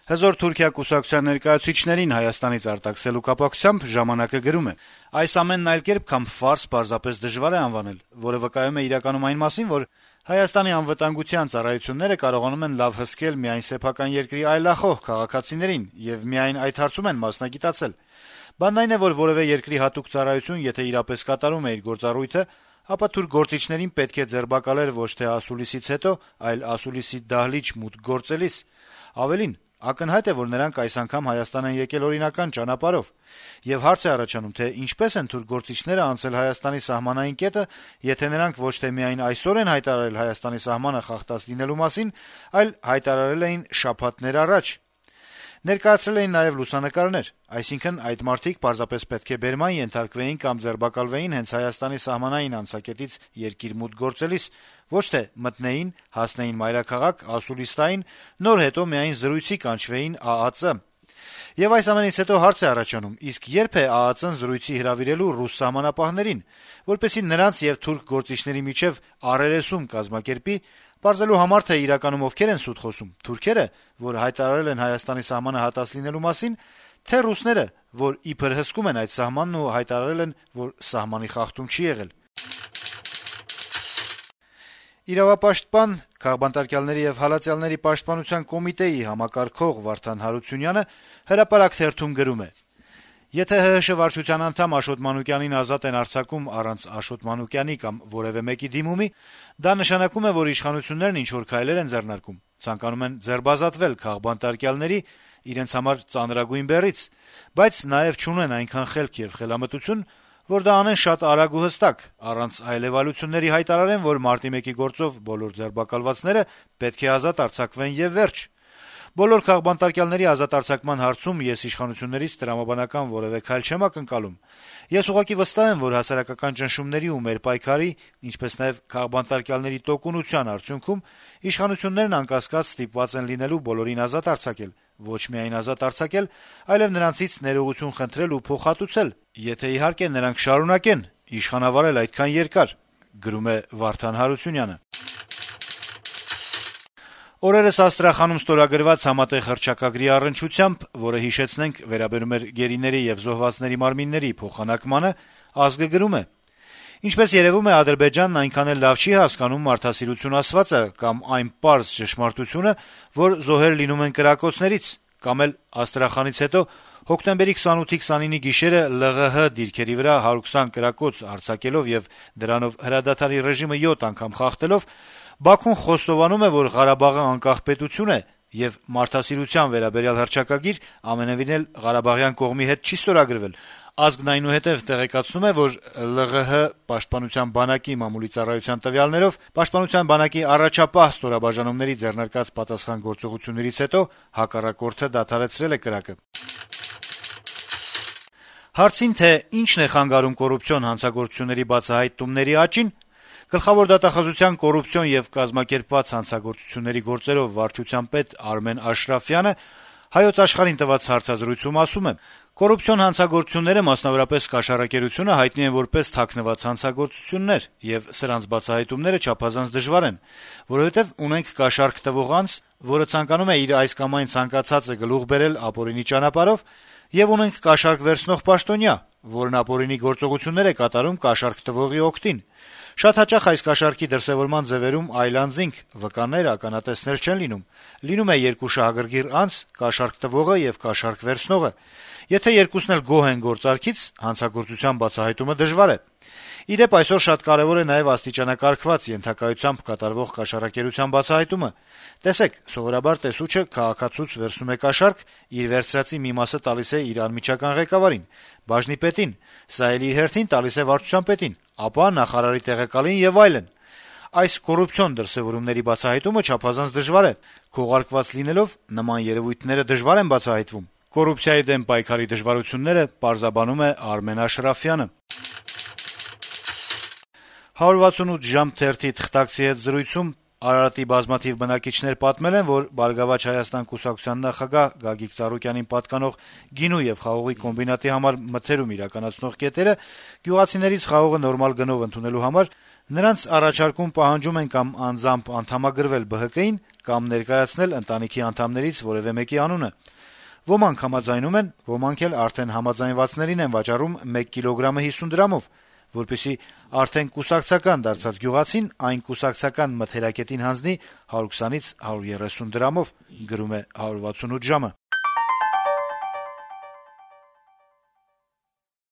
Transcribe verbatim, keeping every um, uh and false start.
Հզոր Թուրքիա կուսակցության ներկայացուցիչներին Հայաստանից արտաքսելու կապակցությամբ «Ժամանակ»-ը գրում է. - «Այս ամենն այլ կերպ, քան ֆարս պարզապես դժվար է անվանել, որը վկայում է իրականում այն մասին, որ Հայաստանի անվտանգության ծառայությունները կարողանում են լավ հսկել միայն սեփական երկրի այլախոհ քաղաքացիներին եւ միայն այդ հարցում են մասնագիտացել։ Բանն այն է, որ որեւէ երկրի հատուկ ծառայություն, եթե իրապես կատարում է իր գործառույթը, ապա թուրք գործիչներին պետք է ձերբակալել ոչ թե ասուլիսից հետո, այլ ասուլիսի դահլիճ մուտք գործելիս։ Ավելին, ակնհայտ է, որ նրանք այս անգամ Հայաստան են եկել օրինական ճանապարհով։ Եվ հարց է առաջանում, թե ինչպես են թուրք գործիչները անցել Հայաստանի սահմանային կետը, եթե նրանք ոչ թե միայն այսօր են հայտարարել Հայաստանի սահմանը խախտած լինելու մասին, այլ հայտարարել էին շաբաթներ առաջ։ Ներկայացրել էին նաև լուսանկարներ, այսինքն այդ մարդիկ պարզապես պետք է բերման ենթարկվեին կամ ձերբակալվեին հենց Հայաստանի սահմանային անցակետից երկիր մուտք գործելիս, ոչ թե մտնեին, հասնեին մայրաքաղաք, ասուլիստային, նոր հետո միայն զրույցի կանչվեին ԱԱԾ։ Եվ այս ամենից հետո հարց է առաջանում, իսկ երբ է ԱԱԾ-ն զրույցի հրավիրելու ռուս սահմանապահներին, որպեսզի նրանց եւ թուրք գործիչների միջեւ առերեսում կազմակերպի, պարզելու համար, թե իրականում ովքեր են սուտ խոսում, թուրքերը, որ հայտարարել են Հայաստանի սահմանը հատած լինելու մասին, թե ռուսները, որ իբր հսկում են այդ սահմանն ու հայտարարել են, որ սահմանի խախտում չի եղել։ Իրավապաշտպան, քաղբանտարկյալների եւ հալածյալների պաշտպանության կոմիտեի համակարգող Վարդան Հարությունյանը Հրապարակ թերթում գրում է. - «Եթե ՀՀՇ վարչության անդամ Աշոտ Մանուկյանին ազատ են արձակում առանց Աշոտ Մանուկյանի կամ որեւէ մեկի դիմումի, դա նշանակում է, որ իշխանություններն ինչ-որ քայլեր են ձեռնարկում, ցանկանում են ձերբազատվել քաղբանտարկյալների, իրենց համար ծանրագույն բեռից, բայց նաեւ չունեն այնքան խելք եւ խելամտություն, որ դա անեն շատ արագ ու հստակ, առանց այլեւալությունների հայտարարեն, որ մարտի մեկի գործով բոլոր ձերբակալվածները պետք է ազատ արձակվեն եւ վերջ։ Բոլոր քաղբանտարկյալների ազատ արձակման հարցում ես իշխանություններից տրամաբանական որեւէ քայլ չեմ ակնկալում։ Ես ուղղակի վստահ եմ, որ հասարակական ճնշումների ու մեր պայքարի, ինչպես նաեւ քաղբանտարկյալների տոկունության արդյունքում իշխանություններն անկասկած ստիպված են լինելու բոլորին ազատ արձակել, ոչ միայն ազատ արձակել, այլեւ նրանցից ներողություն խնդրել ու փոխհատուցել, եթե իհարկե նրանք շարունակեն իշխանավարել այդքան երկար», գրում է Վարդան Հարությունյանը։ Օրերս Աստրախանում ստորագրված համատեղ հռչակագրի առնչությամբ, որը հիշեցնենք վերաբերում էր գերիների եւ զոհվածների մարմինների փոխանակմանը, «Ազգը» գրում է. - «Ինչպես երևում է, Ադրբեջանն այնքան էլ լավ չի հասկանում մարդասիրություն ասվածը կամ այն պարզ ճշմարտությունը, որ զոհեր լինում են կրակոցներից, կամ էլ Աստրախանից հետո հոկտեմբերի քսանութի քսանինի գիշերը ԼՂՀ դիրքերի վրա հարյուր քսան կրակոց արձակելով եւ դրանով հրադադարի ռեժիմը յոթ անգամ խախտելով Բաքուն խոստովանում է, որ Ղարաբաղը անկախ պետություն է եւ մարդասիրության վերաբերյալ հռչակագիր ամենեւին էլ Ղարաբաղյան կողմի հետ չի ստորագրվել։ Ազգն այնուհետև տեղեկացնում է, որ ԼՂՀ պաշտպանության բանակի մամուլի ծառայության տվյալներով պաշտպանության բանակի առաջապահ ստորաբաժանումների ձեռնարկած պատասխան գործողություններից հետո հակառակորդը դադարեցրել է կրակը»։ Հարցին, թե ինչն է խանգարում կոռուպցիոն հանցագործությունների բացահայտումների աճին, Գլխավոր դատախազության կոռուպցիոն եւ կազմակերպված հանցագործությունների գործերով վարչության պետ Արմեն Աշրաֆյանը Հայոց Աշխարհին տված հարցազրույցում ասում է. - «Կոռուպցիոն հանցագործությունները, մասնավորապես կաշառակերությունը, հայտնի են որպես թաքնված հանցագործություններ, եւ սրանց բացահայտումները չափազանց դժվար են, որովհետեւ ունենք կաշառք տվող անձ, որը ցանկանում է իր այս կամ այն ցանկացածը գլուխ բերել ապօրինի ճանապարհով, եւ ունենք կաշառք վերցնող պաշտոնյա, որն ապօրինի գործողություններ է կատարում կաշառք տվողի օգտին։ Շատ հաճախ այս կաշառքի դրսեւորման ձեւերում այլ անձինք, վկաներ, ականատեսներ չեն լինում։ Լինում է երկու շահագրգիռ անձ, կաշառք տվողը եւ կաշառք վերցնողը։ Եթե երկուսն էլ գոհ են գործարքից, հանցագործության բացահայտումը դժվար է։ Ի դեպ, այսօր շատ կարեւոր է նաեւ աստիճանակարգված ենթակայությամբ կատարվող կաշառակերության բացահայտումը։ Տեսեք, սովորաբար տեսուչը քաղաքացուց վերցնում է կաշառք, իր վերցրածի մի մասը տալիս է իր անմիջական ղեկավարին, բաժնի պետին, սա էլ իր հերթին տալիս է վարչության պետին, ապա նախարարի տեղակալին եւ այլն։ Այս կոռուպցիոն դրսեւորումների բացահայտումը չափազանց դժվար է։ Քողարկված լինելով նման երևույթները դժվար են բացահայտվում։ Կոռուպցիայի դեմ պայքարի դժվարությունները պարզաբանում է Արմեն Աշրաֆյանը»։ հարյուր վաթսունութ ժամ թերթի թղթակցի հետ զրույցում Արարատի բազմաթիվ բնակիչներ պատմել են, որ «Բարգավաճ Հայաստան» կուսակցության նախագահ Գագիկ Ծառուկյանին պատկանող գինու եւ խաղողի կոմբինատի համար մթերում իրականացնող կետերը գյուղացիներից խաղողը նորմալ գնով ընդունելու համար նրանց առաջարկում պահանջում են կամ անձամբ անդամագրվել ԲՀԿ-ին կամ ներկայացնել ընտանիքի անդամներից որեւէ մեկի անունը։ Ոմանք համաձայնում են, ոմանք էլ արդեն համաձայնվածներին են վաճառում մեկ կիլոգրամը հիսուն դրամով, որպեսզի արդեն կուսակցական դարձած գյուղացին այն կուսակցական մթերակետին հանձնի հարյուր քսանից հարյուր երեսուն դրամով, գրում է հարյուր վաթսունութ ժամը։